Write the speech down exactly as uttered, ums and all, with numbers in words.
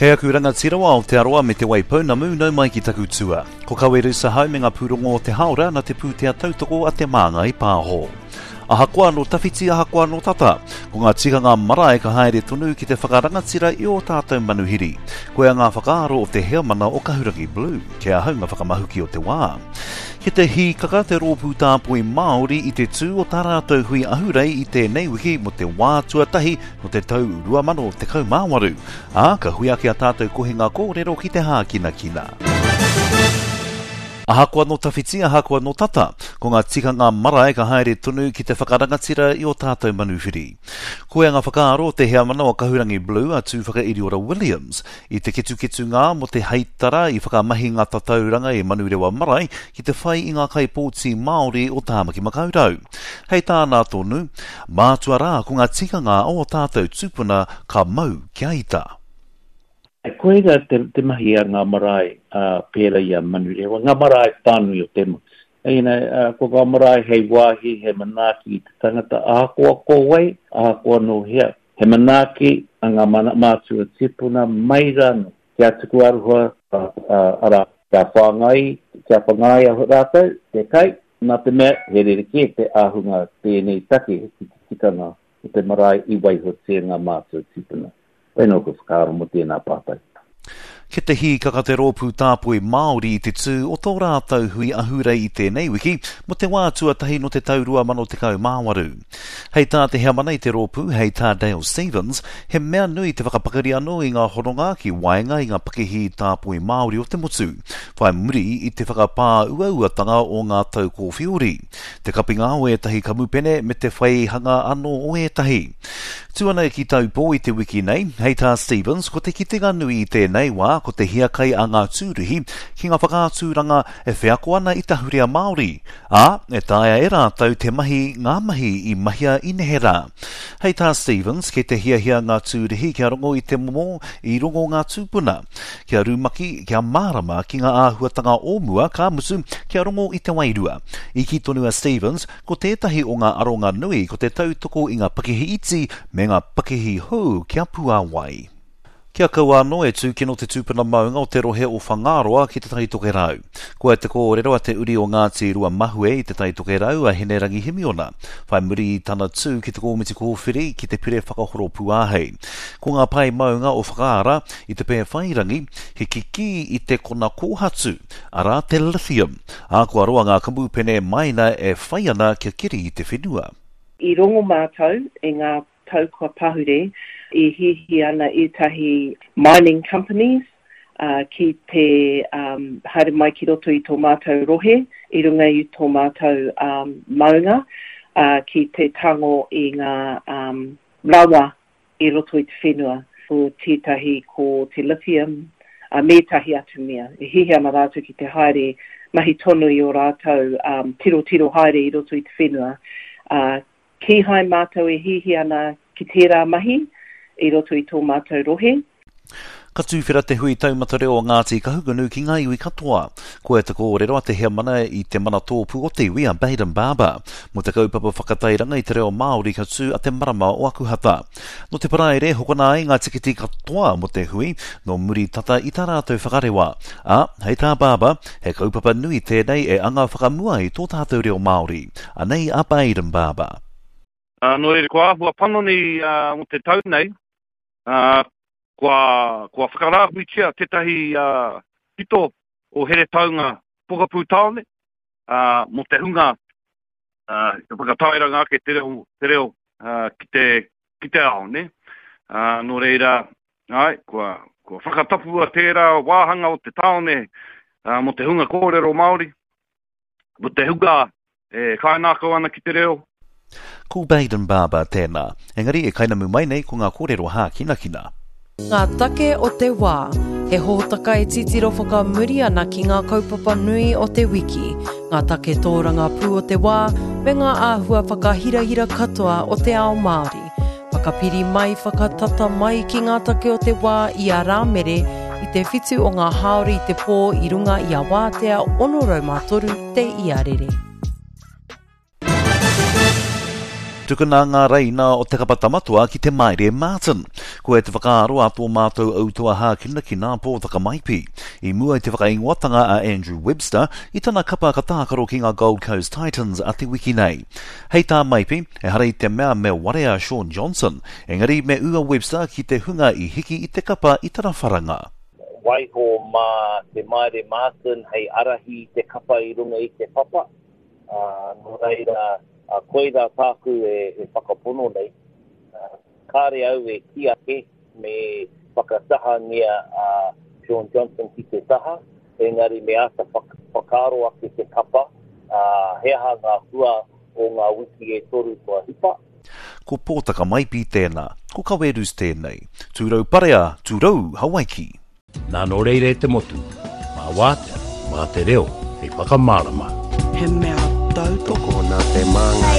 Kei aku rangatira o Aotearoa me Te Waipounamu, nau mai ki taku tua. Ko Kawerusa Hau me ngā pūrongo o te haora na te pūtea tautoko a Te Māngai Pāho. Ahakoa no tawhiti, ahakoa no tata, ko ngā tikanga marae ka haere tonu ki te whakarangatira i o tātou manuhiri. Koia ngā whakaaro o te heamana o Kahurangi Blue, kei ahau ngā whakamahuki o te wā. Ki te hīkaka te rōpū tāpoi Māori i te tū o tā rātou hui ahurei i tēnei wiki mo te wā tuatahi no te tau rua mano tekau mā waru. Ā, ka hui ake a tātou kohinga kōrero ki te hākinakina. Ahakoa no tawhiti, ahakoa no tata, ko ngā tikanga marae ka haere tonu ki te whakarangatira i o tātou manuwhiri. Koia ngā whakaaro o te heamana o Kahurangi Blue a Tūwhakairiora Williams i te ketuketu ngā mo te heitara i whakamahi ngā tatauranga i Manurewa Marae ki te whai i ngā kaipōti Māori o Tāmaki Makaurau. Hei tāna tonu, mātua rā ko ngā tikanga o tātou tūpuna ka mau kia ita. Koira te, te mahi a ngā marae uh, pērā i a Manurewa, ngā marae whānui o te motu. You know, uh, ko ngā marae hei wāhi, hei manaaki i te tangata, ahakoa ko wai, ahakoa nō hea. He manaaki a ngā mana, mātua tipuna mai rānō. Kia tuku aroha, uh, uh, arā, kia whāngai, kia whangaia rātou, te kai, nā te mea, he rerekē te ahunga tēnei take ki te tikanga o te marae i waihotia ngā mātua tipuna. Wēnō ko whakaaro mo tēnā pātai. Ki te hīkaka te rōpū tāpoi Māori i te tū o tō rātou hui ahurei i tēnei wiki mo te wā tuatahi no te tau rua mano tekau mā waru. Hei tā te heamana i te rōpū, hei tā Dale Stevens, he mea nui te whakapakari anō i ngā hononga ki waenga i ngā pakihi tāpoi Māori o te motu, whai muri i te whakapā uauatanga o ngā tau kōwhiori, te kapinga o ētahi kamupene me te whaihanga anō o ētahi. Tū ana ki Taupō i te wiki nei, hei tā Stevens, ko te kitenga nui i tēnei wā, ko te hiakai a ngā tūruhi ki ngā whakaaturanga e wheako ana i te ahurea Māori, ā, e taea e rātou te mahi ngā mahi i mahia i neherā. Hei tā Stevens, kei te hiahia ngā tūruhi kia rongo i te momo i rongo ngā tūpuna, kia rumaki, kia mārama ki ngā āhuatanga o mua, ka mutu, kia rongo i te wairua. I kī tonu a Stevens, ko tētahi o ngā aronga nui ko te tautoko i ngā pakihi iti me ngā pakihi hou kia puāwai. Kia kaua anō e tūkino te tūpuna maunga o te rohe o Whangaroa ki te Tai Tokerau. Koia te kōrero a te uri o Ngāti Rua Mahue i te Tai Tokerau a Hinerangi Himiona, whai muri i tana tū ki te kōmiti kōwhiri ki te pire whakahoro pūāhei. Ko ngā pae maunga o Whakaara i te Pēwhairangi, he kikī i te kona kōhatu, arā te lithium, ā kua roa ngā kamupene maina e whai ana kia kiri i te whenua. I rongo mātou i ngā tau kua pahure i hihi ana ētahi mining companies uh, ki te um, haere mai ki roto i tō mātou rohe, i runga i tō mātou um, maunga, uh, ki te tango i ngā um, rawa i roto i te whenua. Ko tētahi ko te lithium, uh, me ētahi atu mea. E hihi ana rātou ki te haere mahi tonu i o rātou um, tiro tiro haere i roto i te whenua. Uh, kīhai mātou e hihi ana ki tērā mahi i roto i tō mātou rohe. Ka tūwhera te hui taumata reo o Ngāti Kahungunu ki ngā iwi katoa. Koia te kōrero a te heamana i te mana tōpū o te iwi a Bayden Barber. Mo te kaupapa whakatairanga i te reo Māori ka tū a te marama o Akuhata. No te paraire, hokona ai ngā tikiti katoa mo te hui, no muri tata i tā rātou whakarewa. Ā, hei tā Barber, he kaupapa nui tēnei e anga whakamua i tō tātou reo Māori. Anei a Bayden Barber. Uh, nō reira, kua āhua panoni uh, o te tau nei, uh, kua, kua whakarāhuitia tētahi uh, pito o Heretaunga Pokapū Tāone uh, mō te hunga uh, te whakatairanga ake te reo, te reo uh, ki, te, ki te ao, ne? Uh, nō reira, ai, kua, kua whakatapua tērā wāhanga o te tāone uh, mō te hunga kōrero Māori, mō te hunga e kainākau ana ki te reo. Ko Bayden Barber tēnā. Engari e kainamu mai nei ko ngā kōrero hākinakina. Ngā take o te wā, he hōtaka e titiro whakamuri ana ki ngā kaupapa nui o te wiki, ngā take tōrangapū o te wā, me ngā āhua whakahirahira katoa o te ao Māori. Whakapiri mai, whakatata mai ki ngā take o te wā i a Rāmere i te whitu o ngā haori i te pō i runga i a Wātea ono rau mā toru te iarere. Tukuna ngā reina o te kapa tamatoa ki te Maire Martin. Ko e te whakaaro a tō mātou autoa hākinakina Pōtaka Maipi. I mua i te whakaingoatanga a Andrew Webster i tana kapa ka tākaro ki ngā Gold Coast Titans a te wiki nei. Hei tā Maipi, ehara i te mea me warea Shaun Johnson, engari me ua Webster ki te hunga i hiki i te kapa i tana wharanga. Waiho mā te Maire Martin hei arahi i te kapa i runga i te papa. Uh, nō reira, uh, koirā tāku e, e whakapono nei. Uh, kāre au e kī ake me whakatahangia a uh, Shaun Johnson ki te taha, engari me āta whakaaro ake te kapa, uh, he aha ngā hua o ngā wiki e toru kua hipa. Ko Pōtaka Maipi tēnā, ko Kawerus tēnei. Tūrau parea, tūrau Hawaiki. Nā nō reira e te motu, mā wātea, mā te reo, hei whakamārama. He mea tautoko. Tokona te māngai.